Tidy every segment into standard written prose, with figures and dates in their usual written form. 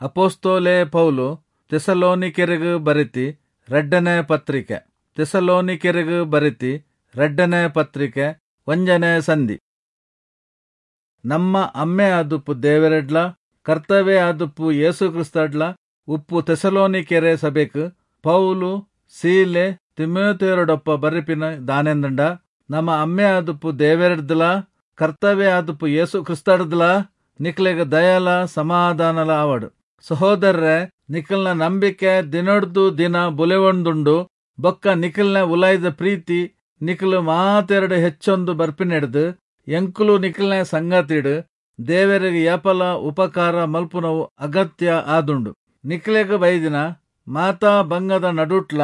ಅಪೊಸ್ತಲೆ ಪೌಲು ಥೆಸಲೋನಿಕೆರೆಗ್ ಬರೆತಿ ರಡ್ಡನೆ ಪತ್ರಿಕೆ. ಥೆಸಲೋನಿಕೆರೆಗ್ ಬರೆತಿ ರಡ್ಡನೆ ಪತ್ರಿಕೆ ಒಂಜನೆ ಸಂಧಿ. ನಮ್ಮ ಅಮ್ಮೆ ಆದುಪ್ಪು ದೇವೆರೆಡ್ಲ ಕರ್ತವೆ ಆದುಪ್ಪು ಯೇಸು ಕ್ರಿಸ್ತಡ್ಲ ಉಪ್ಪು ಥೆಸಲೋನಿಕೆರೆ ಸಭೆಕ್ ಪೌಲು ಸೀಲೆ ತಿಮೋಥೆಯೊಡೊಪ್ಪ ಬರೆಪಿನ ದಾನೆಂದಂಡ, ನಮ್ಮ ಅಮ್ಮೆ ಆದುಪ್ಪು ದೇವೆರೆಡ್ದಲ ಕರ್ತವೆ ಆದುಪ್ಪು ಯೇಸು ಕ್ರಿಸ್ತಡ್ದಲ ನಿಕ್ಲೆಗ್ ದಯಲ ಸಮಾಧಾನಲ ಆವಡ್. ಸಹೋದರರೇ, ನಿಖಲ್ನ ನಂಬಿಕೆ ದಿನೊಡ್ದು ದಿನ ಬುಲೆವೊಂದುಂಡು. ಬೊಕ್ಕ ನಿಖಲ್ನ ಉಲಾಯ್ದ ಪ್ರೀತಿ ನಿಖಲು ಮಾತೆರಡು ಹೆಚ್ಚೊಂದು ಬರ್ಪಿನೆಡ್ದು ಎಂಕುಲು ನಿಖಲ್ನ ಸಂಗತಿಡು ದೇವರಿಗೆ ಯಾಪಲ ಉಪಕಾರ ಮಲ್ಪುನವು ಅಗತ್ಯ ಆದುಂಡು. ನಿಕ್ಲೆಗ್ ಬೈದಿನ ಮಾತಾ ಬಂಗದ ನಡುಟ್ಲ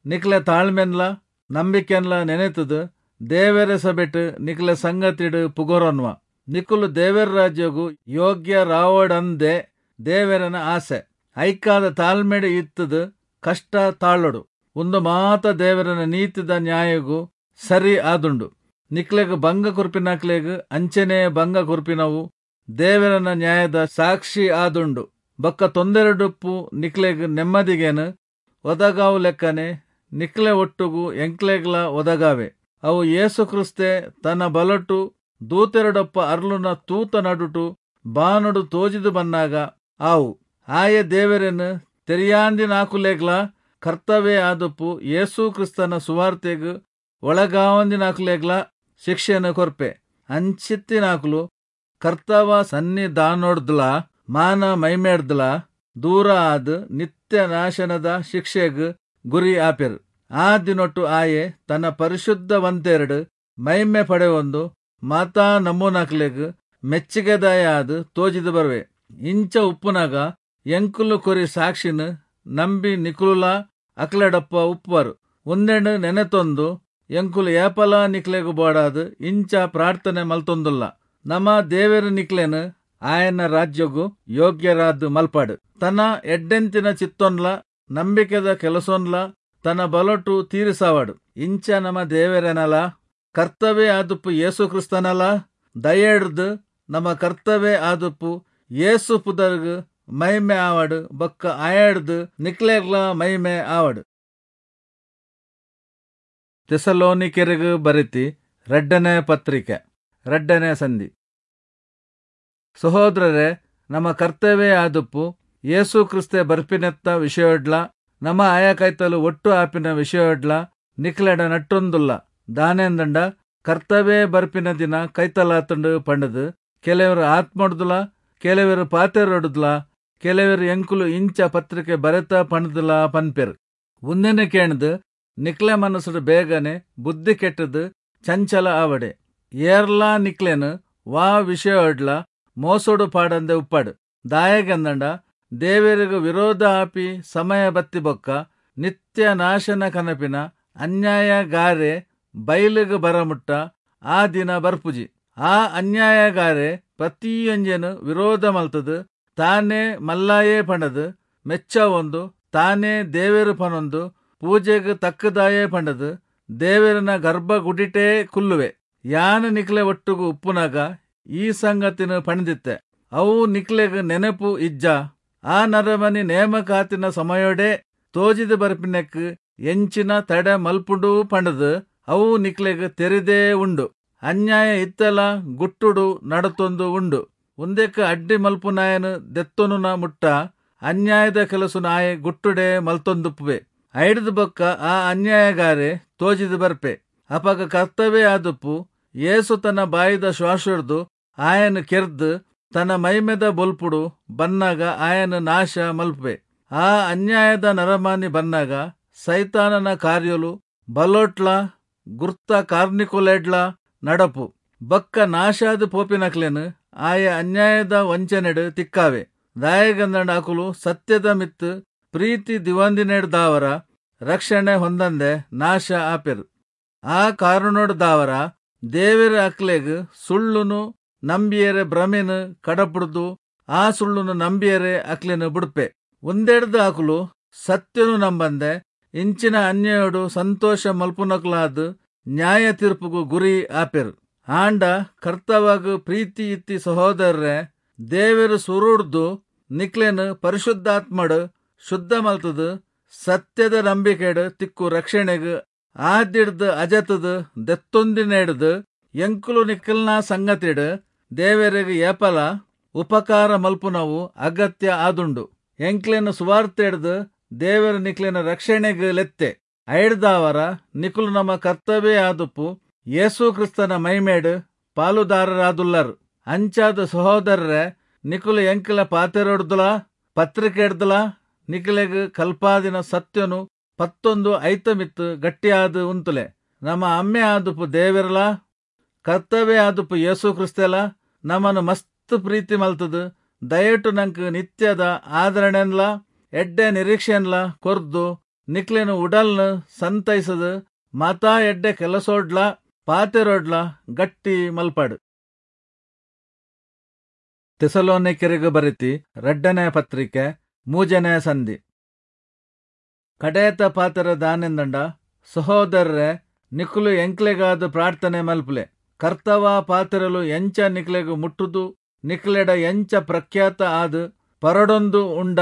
ನಿಕ್ಲೆ ತಾಳ್ಮೆನ್ಲ ನಂಬಿಕೆನ್ಲ ನೆನೆತದು ದೇವರ ಸಭೆಟ್ ನಿಕ್ಲೆ ಸಂಗತಿಡು ಪುಗೊರನ್ವ. ನಿಕುಲು ದೇವರ ರಾಜ್ಯಗು ಯೋಗ್ಯ ರಾವಡಂದೆ ದೇವರನ ಆಸೆ. ಐಕಾದ ತಾಳ್ಮೆಡು ಇತ್ತದು ಕಷ್ಟ ತಾಳೊಡು. ಒಂದು ಮಾತ ದೇವರನ ನೀತಿದ ನ್ಯಾಯಗು ಸರಿ ಆದುಂಡು. ನಿಕ್ಲೆಗ್ ಭಂಗ ಕೊರ್ಪಿನಕ್ಲೆಗ್ ಅಂಚೆನೇ ಭಂಗ ಕೊರ್ಪಿನವು ದೇವರನ ನ್ಯಾಯದ ಸಾಕ್ಷಿ ಆದುಂಡು. ಬೊಕ್ಕ ತೊಂದರೆಡುಪ್ಪು ನಿಕ್ಲೆಗ್ ನೆಮ್ಮದಿಗೇನು ಒದಗಾವು ಲೆಕ್ಕನೆ ನಿಕ್ಲೆ ಒಟ್ಟುಗು ಎಂಕ್ಲೆಗ್ಲ ಒದಗಾವೆ. ಅವು ಯೇಸು ಕ್ರಿಸ್ತೆ ತನ್ನ ಬಲಟು ದೂತೆರಡೊಪ್ಪ ಅರ್ಲುನ ತೂತ ನಡುಟು ಬಾನುಡು ತೋಜಿದು ಬನ್ನಾಗ ಆವು. ಆಯೆ ದೇವರನ್ನು ತೆರಿಯಾಂದಿನಾಕುಲೆಗ್ಲ ಕರ್ತವೇ ಆದುಪ್ಪು ಯೇಸು ಕ್ರಿಸ್ತನ ಸುವಾರ್ತೆಗ್ ಒಳಗಾವಂದಿನಾಕುಲೆಗ್ಲ ಶಿಕ್ಷೆಯನ್ನು ಕೊರ್ಪೆ. ಅಂಚಿತ್ತಿನಾಕುಲು ಕರ್ತವ ಸನ್ನಿಧಾನೊಡ್ದ್ಲ ಮಾನ ಮೈಮೇಡ್ದ್ಲ ದೂರ ಆದ್ ನಿತ್ಯ ನಾಶನದ ಶಿಕ್ಷೆಗ್ ಗುರಿ ಆಪೆರ್. ಆ ದಿನೊಟ್ಟು ಆಯೆ ತನ್ನ ಪರಿಶುದ್ಧವಂತೆರಡು ಮೈಮೆ ಪಡೆವೊಂದು ಮಾತಾ ನಮೂನಾಕ್ಲೆಗ್ ಮೆಚ್ಚಿಗೆದಾಯ ಆದ್ ತೋಜಿದು ಬರುವೆ. ಇಂಚ ಉಪ್ಪುನಾಗ ಎಂಕುಲು ಕೊರಿ ಸಾಕ್ಷಿನ ನಂಬಿ ನಿಕುಲುಲ ಅಕ್ಲೆಡಪ್ಪ ಉಪ್ಪುವರು. ಒಂದೆಂಡು ನೆನೆತೊಂದು ಎಂಕುಲು ಏಪಲ ನಿಕ್ಲೆಗ್ ಬೋಡಾದ್ ಇಂಚ ಪ್ರಾರ್ಥನೆ ಮಲ್ತೊಂದುಲ್ಲ. ನಮ್ಮ ದೇವೆರ್ ನಿಕ್ಲೆನ್ ಆಯನ ರಾಜ್ಯಗು ಯೋಗ್ಯರಾದ್ ಮಲ್ಪಾಡು. ತನ್ನ ಎಡ್ಡೆಂತಿನ ಚಿತ್ತೊನ್ಲ ನಂಬಿಕೆದ ಕೆಲಸೊನ್ಲ ತನ್ನ ಬಲೊಟು ತೀರಿಸಾವಾಡು. ಇಂಚ ನಮ್ಮ ದೇವರೆನಲ ಕರ್ತವ್ಯ ಆದುಪ್ಪು ಯೇಸು ಕ್ರಿಸ್ತನಲ ದಯೆಡ್ದು ನಮ್ಮ ಕರ್ತವ್ಯ ಆದುಪ್ಪು ಯೇಸು ಪುದರ್ಗ್ ಮೈಮೆ ಆವಡು. ಬೊಕ್ಕ ಆಯಡ್ದು ನಿಕ್ಲೆಗ್ಲ ಮೈಮೆ ಆವಡು. ಥೆಸಲೋನಿಕೆರೆಗ್ ಬರೆತಿ ರಡ್ಡನೆ ಪತ್ರಿಕೆ ರಡ್ಡನೆ ಸಂಧಿ. ಸಹೋದರರೇ, ನಮ್ಮ ಕರ್ತವ್ಯ ಆದುಪ್ಪು ಯೇಸು ಕ್ರಿಸ್ತೆ ಬರ್ಪಿನೆತ್ತ ವಿಷಯಡ್ಲ ನಮ್ಮ ಆಯ ಕೈತಲು ಒಟ್ಟು ಆಪಿನ ವಿಷಯಡ್ಲ ನಿಕ್ಲೆಡ ನಟ್ಟೊಂದುಲ್ಲ. ದಾನೆಂದಂಡ ಕರ್ತವ್ಯ ಬರ್ಪಿನ ದಿನ ಕೈತಲಾತಂಡು ಪಂಡದು ಕೆಲವರು ಆತ್ಮೊಡ್ದುಲ, ಕೆಲವರು ಪಾತೆರೊಡುದ್ಲ, ಕೆಲವರು ಎಂಕುಲು ಇಂಚ ಪತ್ರಿಕೆ ಬರೆತ ಪಂಡದುಲ ಪನ್ಪೆರ್. ಉಂದೆನೆ ಕೇಣ್ದು ನಿಕ್ಲೆ ಮನಸ್ಸುಡು ಬೇಗನೆ ಬುದ್ಧಿ ಕೆಟ್ಟದು ಚಂಚಲ ಆವಡೆ. ಏರ್ಲಾ ನಿಕ್ಲೆನು ವಾ ವಿಷಯಡ್ಲ ಮೋಸೋಡು ಪಾಡಂದೆ ಉಪ್ಪಾಡು. ದಾಯಗಂದಂಡ ದೇವರಿಗೂ ವಿರೋಧ ಆಪಿ ಸಮಯ ಬತ್ತಿ ಬೊಕ್ಕ ನಿತ್ಯ ನಾಶನ ಕನಪಿನ ಅನ್ಯಾಯಗಾರೆ ಬೈಲಿಗೆ ಬರಮುಟ್ಟ ಆ ದಿನ ಬರ್ಪುಜಿ. ಆ ಅನ್ಯಾಯಗಾರೆ ಪ್ರತಿಯೊಂಜೆನು ವಿರೋಧ ಮಲ್ತದು ತಾನೇ ಮಲ್ಲಾಯೇ ಪಂಡದು ಮೆಚ್ಚ ಒಂದು ತಾನೇ ದೇವರು ಪನೊಂದು ಪೂಜೆಗೆ ತಕ್ಕದಾಯೇ ಪಂಡದು ದೇವರನ ಗರ್ಭಗುಡಿಟೇ ಕುಲ್ಲುವೆ. ಯಾನು ನಿಕ್ಲೆ ಒಟ್ಟುಗು ಉಪ್ಪುನಾಗ ಈ ಸಂಗತಿನ ಪಣದಿತ್ತೆ. ಅವು ನಿಕ್ಲೆಗ್ ನೆನಪು ಇಜ್ಜ. ಆ ನರಮನಿ ನೇಮಕಾತಿನ ಸಮಯೋಡೆ ತೋಜಿದ ಬರ್ಪಿನೆಕ್ ಎಂಚಿನ ತಡೆ ಮಲ್ಪುಂಡು ಪಂಡದು ಅವು ನಿಕ್ಲೆಗ್ ತೆರಿದೇ ಉಂಡು. ಅನ್ಯಾಯ ಇತ್ತಲ ಗುಟ್ಟುಡು ನಡತೊಂದು ಉಂಡು. ಒಂದೆಕ್ ಅಡ್ಡಿ ಮಲ್ಪುನಾಯನು ದೆತ್ತೊನುನ ಮುಟ್ಟ ಅನ್ಯಾಯದ ಕೆಲಸು ನಾಯ ಗುಟ್ಟುಡೆ ಮಲ್ತೊಂದುಪ್ಪುವೆ. ಐಡ್ದು ಬೊಕ್ಕ ಆ ಅನ್ಯಾಯಗಾರೆ ತೋಜಿದು ಬರ್ಪೆ. ಅಪಗ ಕರ್ತವ್ಯ ಆದುಪ್ಪು ಯೇಸು ತನ್ನ ಬಾಯಿದ ಶ್ವಾಸೊಡ್ದು ಆಯನು ಕೆರ್ದು ತನ್ನ ಮೈಮೆದ ಬೊಲ್ಪುಡು ಬನ್ನಾಗ ಆಯನು ನಾಶ ಮಲ್ಪೆ. ಆ ಅನ್ಯಾಯದ ನರಮಾನಿ ಬನ್ನಾಗ ಸೈತಾನನ ಕಾರ್ಯಲು ಬಲೋಟ್ಲ ಗುರ್ತ ಕಾರ್ನಿಕೊಲೆಡ್ಲ ನಡಪು. ಬೊಕ್ಕ ನಾಶಾದ ಪೋಪಿನಕ್ಲೆನು ಆಯ ಅನ್ಯಾಯದ ವಂಚನೆಡು ತಿಕ್ಕಾವೆ. ದಾಯಗಂದಂಡ ಅಕುಲು ಸತ್ಯದ ಮಿತ್ತು ಪ್ರೀತಿ ದಿವಂದಿನೆಡ್ದಾವರ ರಕ್ಷಣೆ ಹೊಂದಂದೆ ನಾಶ ಆಪೆರು. ಆ ಕಾರಣೊಡ್ದಾವರ ದೇವರ ಅಕ್ಲೆಗ್ ಸುಳ್ಳುನು ನಂಬಿಯರೆ ಭ್ರಮೆನು ಕಡಪುಡ್ದು ಆ ಸುಳ್ಳುನು ನಂಬಿಯರೆ ಅಕ್ಲೆನು ಬುಡ್ಪೆ. ಒಂದೆಡ್ದು ಅಕುಲು ಸತ್ಯನು ನಂಬಂದೆ ಇಂಚಿನ ಅನ್ಯಾಯೋಡು ಸಂತೋಷ ಮಲ್ಪುನಕ್ಲಾದ್ ನ್ಯಾಯ ತೀರ್ಪುಗು ಗುರಿ ಆಪೆರು. ಆಂಡ ಕರ್ತವಾಗ ಪ್ರೀತಿ ಇತ್ತಿ ಸಹೋದರರೇ, ದೇವರು ಸುರುಡ್ದು ನಿಕ್ಲೆನ್ ಪರಿಶುದ್ಧಾತ್ಮಡ್ ಶುದ್ಧ ಮಲ್ತುದು ಸತ್ಯದ ನಂಬಿಕೆಡ್ ತಿಕ್ಕು ರಕ್ಷಣೆಗ್ ಆದಿಡ್ದ್ ಅಜತುದು ದೆತ್ತೊಂದಿನೆಡ್ದ್ ಎಂಕುಲು ನಿಕಲ್ನ ಸಂಗತಿಡ್ ದೇವೆರೆಗ್ ಏಪಲ ಉಪಕಾರ ಮಲ್ಪುನವು ಅಗತ್ಯ ಆದುಂಡು. ಎಂಕ್ಲೆನ ಸುವಾರ್ತೆಡ್ದ್ ದೇವೆರ್ ನಿಕ್ಲೆನ ರಕ್ಷಣೆಗ್ ಲೆತ್ತೆ. ಐಡ್ದಾವರ ನಿಕುಲು ನಮ್ಮ ಕರ್ತವೇ ಆದುಪ್ಪು ಯೇಸು ಕ್ರಿಸ್ತನ ಮಹಿಮೆಡ್ ಪಾಲುದಾರರಾದುಲ್ಲರ್. ಅಂಚಾದ್ ಸಹೋದರರೇ, ನಿಕುಲು ಎಂಕಲ ಪಾತೆರೊಡ್ದುಲಾ ಪತ್ರಿಕೆಡ್ದುಲಾ ನಿಕಲೆಗ್ ಕಲ್ಪಾದಿನ ಸತ್ಯನು ಪತ್ತೊಂದು ಐತ ಮಿತ್ತ್ ಗಟ್ಟಿಯಾದ್ ಉಂತುಲೆ. ನಮ್ಮ ಅಮ್ಮೆ ಆದುಪ್ಪು ದೇವೆರ್ಲಾ ಕರ್ತವೇ ಆದುಪ್ಪು ಯೇಸು ಕ್ರಿಸ್ತೆಲಾ ನಮನ್ ಮಸ್ತ್ ಪ್ರೀತಿ ಮಲ್ತುದು ದಯಟು ನಂಕ್ ನಿತ್ಯದ ಆದರಣೆನ್ಲಾ ಎಡ್ಡೆ ನಿರೀಕ್ಷೆನ್ಲಾ ಕೊರ್ದು ನಿಕ್ಲೆನ ಉಡಲ್ನ್ ಸಂತೈಸದು ಮಾತಾ ಎಡ್ಡೆ ಕೆಲಸೊಡ್ಲಾ ಪಾತೆರೊಡ್ಲಾ ಗಟ್ಟಿ ಮಲ್ಪಡ್. ಥೆಸಲೋನಿಕೆರೆಗ್ ಬರೆತಿ ರಡ್ಡನೇ ಪತ್ರಿಕೆ ಮೂಜನೇ ಸಂಧಿ. ಕಡೇತ ಪಾತೆರ ದಾನೆಂದಂಡ, ಸಹೋದರರೇ, ನಿಕುಲು ಎಂಕ್ಲೆಗಾದ್ ಪ್ರಾರ್ಥನೆ ಮಲ್ಪುಲೆ. ಕರ್ತವ ಪಾತೆರಲು ಎಂಚ ನಿಕ್ಲೆಗ್ ಮುಟ್ಟುದು ನಿಕ್ಲೆಡ ಎಂಚ ಪ್ರಖ್ಯಾತ ಆದ್ ಪರಡೊಂದು ಉಂಡ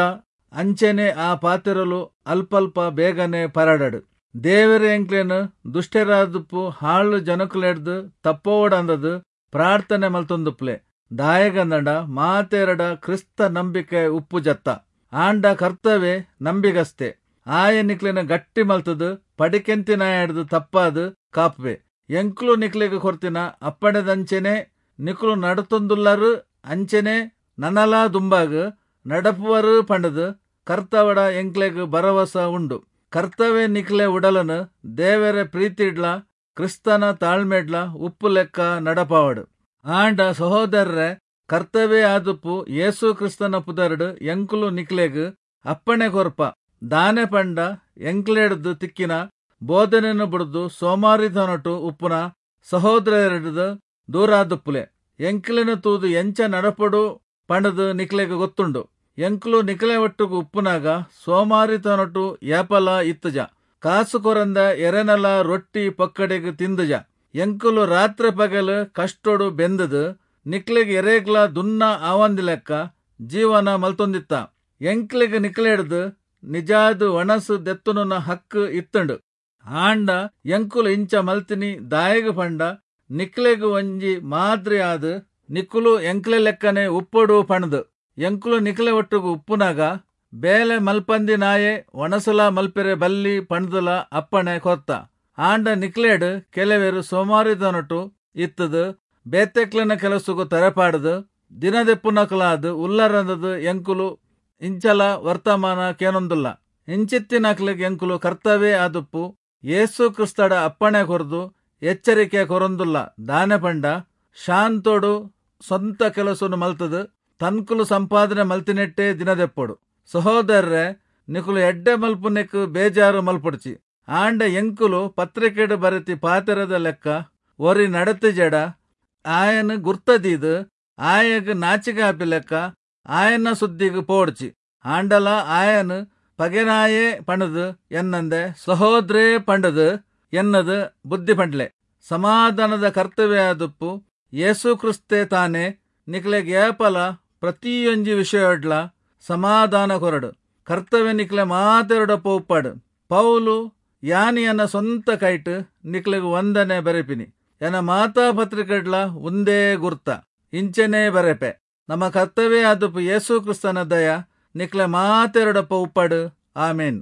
ಅಂಚೆನೆ ಆ ಪಾತೆರಲು ಅಲ್ಪಲ್ಪ ಬೇಗನೆ ಪರಡಡ್. ದೇವೆರ್ ಎಂಕ್ಲೆನ್ ದುಷ್ಟೆರಾದುಪ್ಪು ಹಾಳು ಜನಕುಲೆಡ್ದ್ ತಪ್ಪೋವಡಂದದ್ ಪ್ರಾರ್ಥನೆ ಮಲ್ತೊಂದುಪ್ಪುಲೆ. ದಾಯೆಗಂದಂಡ ಮಾತೆರಡ ಕ್ರಿಸ್ತ ನಂಬಿಕೆ ಉಪ್ಪು ಜತ್ತ. ಆಂಡ ಕರ್ತವೆ ನಂಬಿಗಸ್ತೆ, ಆಯೆ ನಿಕ್ಲೆನ ಗಟ್ಟಿ ಮಲ್ತುದು ಪಡಿಕೆಂತಿನಾಯಡ್ದ್ ತಪ್ಪಾದ್ ಕಾಪುವೆ. ಎಂಕ್ಲು ನಿಕ್ಲೆಗ್ ಕೊರ್ತಿನ ಅಪ್ಪಣೆದಂಚೆನೆ ನಿಕುಲು ನಡತೊಂದುಲ್ಲರ್, ಅಂಚೆನೆ ನನಲಾ ದುಂಬಾಗ್ ನಡಪುವರು ಪಂಡುದು ಕರ್ತವಡ ಎಂಕ್ಲೆಗ್ ಭರವಸ ಉಂಡು. ಕರ್ತವೆ ನಿಕ್ಲೆ ಉಡಲನು ದೇವರ ಪ್ರೀತಿಡ್ಲಾ ಕ್ರಿಸ್ತನ ತಾಳ್ಮೆಡ್ಲಾ ಉಪ್ಪು ಲೆಕ್ಕ ನಡಪಾವಡು. ಆಂಡ ಸಹೋದರರೇ, ಕರ್ತವೇ ಆದುಪ್ಪು ಯೇಸು ಕ್ರಿಸ್ತನ ಪುದರ್ಡ್ ಎಂಕುಲು ನಿಕ್ಲೆಗ್ ಅಪ್ಪಣೆ ಕೊರ್ಪ. ದಾನೆ ಪಂಡ ಎಂಕ್ಲೆಡ್ದ್ ತಿಕ್ಕಿನ ಬೋಧನೆಯನ್ನು ಬುಡ್ದು ಸೋಮಾರಿತನೊಟು ಉಪ್ಪುನ ಸಹೋದರರೆಡ್ದ್ ದೂರಾದುಪ್ಪುಲೆ. ಎಂಕ್ಲೆನ್ ತೂದು ಎಂಚ ನಡಪೊಡು ಪಂಡುದು ನಿಕ್ಲೆಗ್ ಗೊತ್ತುಂಡು. ಎಂಕುಲು ನಿಕ್ಲೆ ಒಟ್ಟುಗು ಉಪ್ಪುನಾಗ ಸೋಮಾರಿತನೊಟು ಏಪಲ ಇತ್ತುಜ. ಕಾಸು ಕೊರಂದ ಎರೆನಲ ರೊಟ್ಟಿ ಪೊಕ್ಕಡೆಗ್ ತಿಂದುಜ. ಎಂಕುಲು ರಾತ್ರೆ ಪಗಲು ಕಷ್ಟೊಡು ಬೆಂದುದು ನಿಕ್ಲೆಗ್ ಎರೆಗ್ಲಾ ದುನ್ನ ಆವಂದಿಲೆಕ್ಕ ಜೀವನ ಮಲ್ತೊಂದಿತ್ತ. ಎಂಕ್ಲೆಗ್ ನಿಕ್ಲೆಡ್ದ್ ನಿಜಾದ್ ಒಣಸು ದೆತ್ತುನುನ ಹಕ್ಕು ಇತ್ತುಂಡು. ಆಂಡ ಎಂಕುಲು ಇಂಚ ಮಲ್ತಿನಿ ದಾಯೆಗ್ ಪಂಡ ನಿಕ್ಲೆಗ್ ಒಂಜಿ ಮಾದ್ರಿ ಆದ್ ನಿಕುಲು ಎಂಕ್ಲೆ ಲೆಕ್ಕನೆ ಉಪ್ಪೊಡು ಪಂಡ್ದ್. ಎಂಕುಲು ನಿಕ್ಲೆ ಒಟ್ಟುಗು ಉಪ್ಪುನಾಗ ಬೇಲೆ ಮಲ್ಪಂದಿನಾಯೆ ಒಣಸುಲ ಮಲ್ಪೆರೆ ಬಲ್ಲಿ ಪಂಡ್ದುಲ ಅಪ್ಪಣೆ ಕೊರ್ತ. ಆಂಡ ನಿಕ್ಲೆಡ್ ಕೆಲವೆರ್ ಸೋಮಾರಿತನೊಟು ಇತ್ತುದು ಬೇತೆಕ್ಲೆನ ಕೆಲಸಗು ತರೆಪಾಡ್ದು ದಿನದೆಪ್ಪುನಕುಲಾದ್ ಉಲ್ಲರಂದದ್ ಎಂಕುಲು ಇಂಚಲ ವರ್ತಮಾನ ಕೇನೊಂದುಲ್ಲ. ಇಂಚಿತ್ತಿನಕ್ಲೆಗ್ ಎಂಕುಲು ಕರ್ತವೇ ಆದುಪ್ಪು ಯೇಸು ಕ್ರಿಸ್ತಡ ಅಪ್ಪಣೆ ಕೊರ್ದು ಎಚ್ಚರಿಕೆ ಕೊರೊಂದುಲ್ಲ. ದಾನೆ ಪಂಡ ಶಾಂತೊಡು ಸ್ವಂತ ಕೆಲಸನು ಮಲ್ತುದು ತನ್ಕುಲು ಸಂಪಾದನೆ ಮಲ್ತಿನೆಟ್ಟೇ ದಿನದೆಪ್ಪೊಡು. ಸಹೋದರರೇ, ನಿಕುಲು ಎಡ್ಡೆ ಮಲ್ಪುನೆಕ್ ಬೇಜಾರು ಮಲ್ಪೊಡ್ಚಿ. ಆಂಡ ಎಂಕುಲು ಪತ್ರಿಕೆಡ್ ಬರೆತಿ ಪಾತೆರದ ಲೆಕ್ಕ ಒರಿ ನಡತಿಜೆಡ ಆಯನ್ ಗುರ್ತದೀದ್ ಆಯಗ್ ನಾಚಿಕೆ ಆಪಿ ಲೆಕ್ಕ ಆಯನ ಸುದ್ದಿಗ್ ಪೋಡ್ಚಿ. ಆಂಡಲ ಆಯನ್ ಪಗೆನಾಯೇ ಪಂಡುದು ಎನ್ನಂದೆ ಸಹೋದ್ರೇ ಪಂಡುದು ಎನ್ನದು ಬುದ್ಧಿ ಪಂಡ್ಲೆ. ಸಮಾಧಾನದ ಕರ್ತವ್ಯ ಆದುಪ್ಪು ಯೇಸು ಕ್ರಿಸ್ತೆ ತಾನೇ ನಿಕ್ಲೆಗ್ ಏಪಲ ಪ್ರತಿಯೊಂಜಿ ವಿಷಯೊಡ್ಲ ಸಮಾಧಾನ ಕೊರಡು. ಕರ್ತವ್ಯ ನಿಕ್ಲೆ ಮಾತೆರೊಡಪ್ಪ ಉಪ್ಪಾಡು. ಪೌಲು ಯಾನಿ ಎನ್ನ ಸ್ವಂತ ಕೈಟ್ ನಿಕ್ಲೆಗ್ ವಂದನೆ ಬರೆಪಿನಿ. ಎನ್ನ ಮಾತಾ ಪತ್ರಿಕೆಡ್ಲ ಒಂದೇ ಗುರ್ತ ಇಂಚೆನೇ ಬರೆಪೆ. ನಮ್ಮ ಕರ್ತವ್ಯ ಆದುಪ್ಪು ಯೇಸು ಕ್ರಿಸ್ತನ ದಯ ನಿಕ್ಲೆ ಮಾತೆರೊಡಪ್ಪ ಉಪ್ಪಾಡು. ಆಮೇನ್.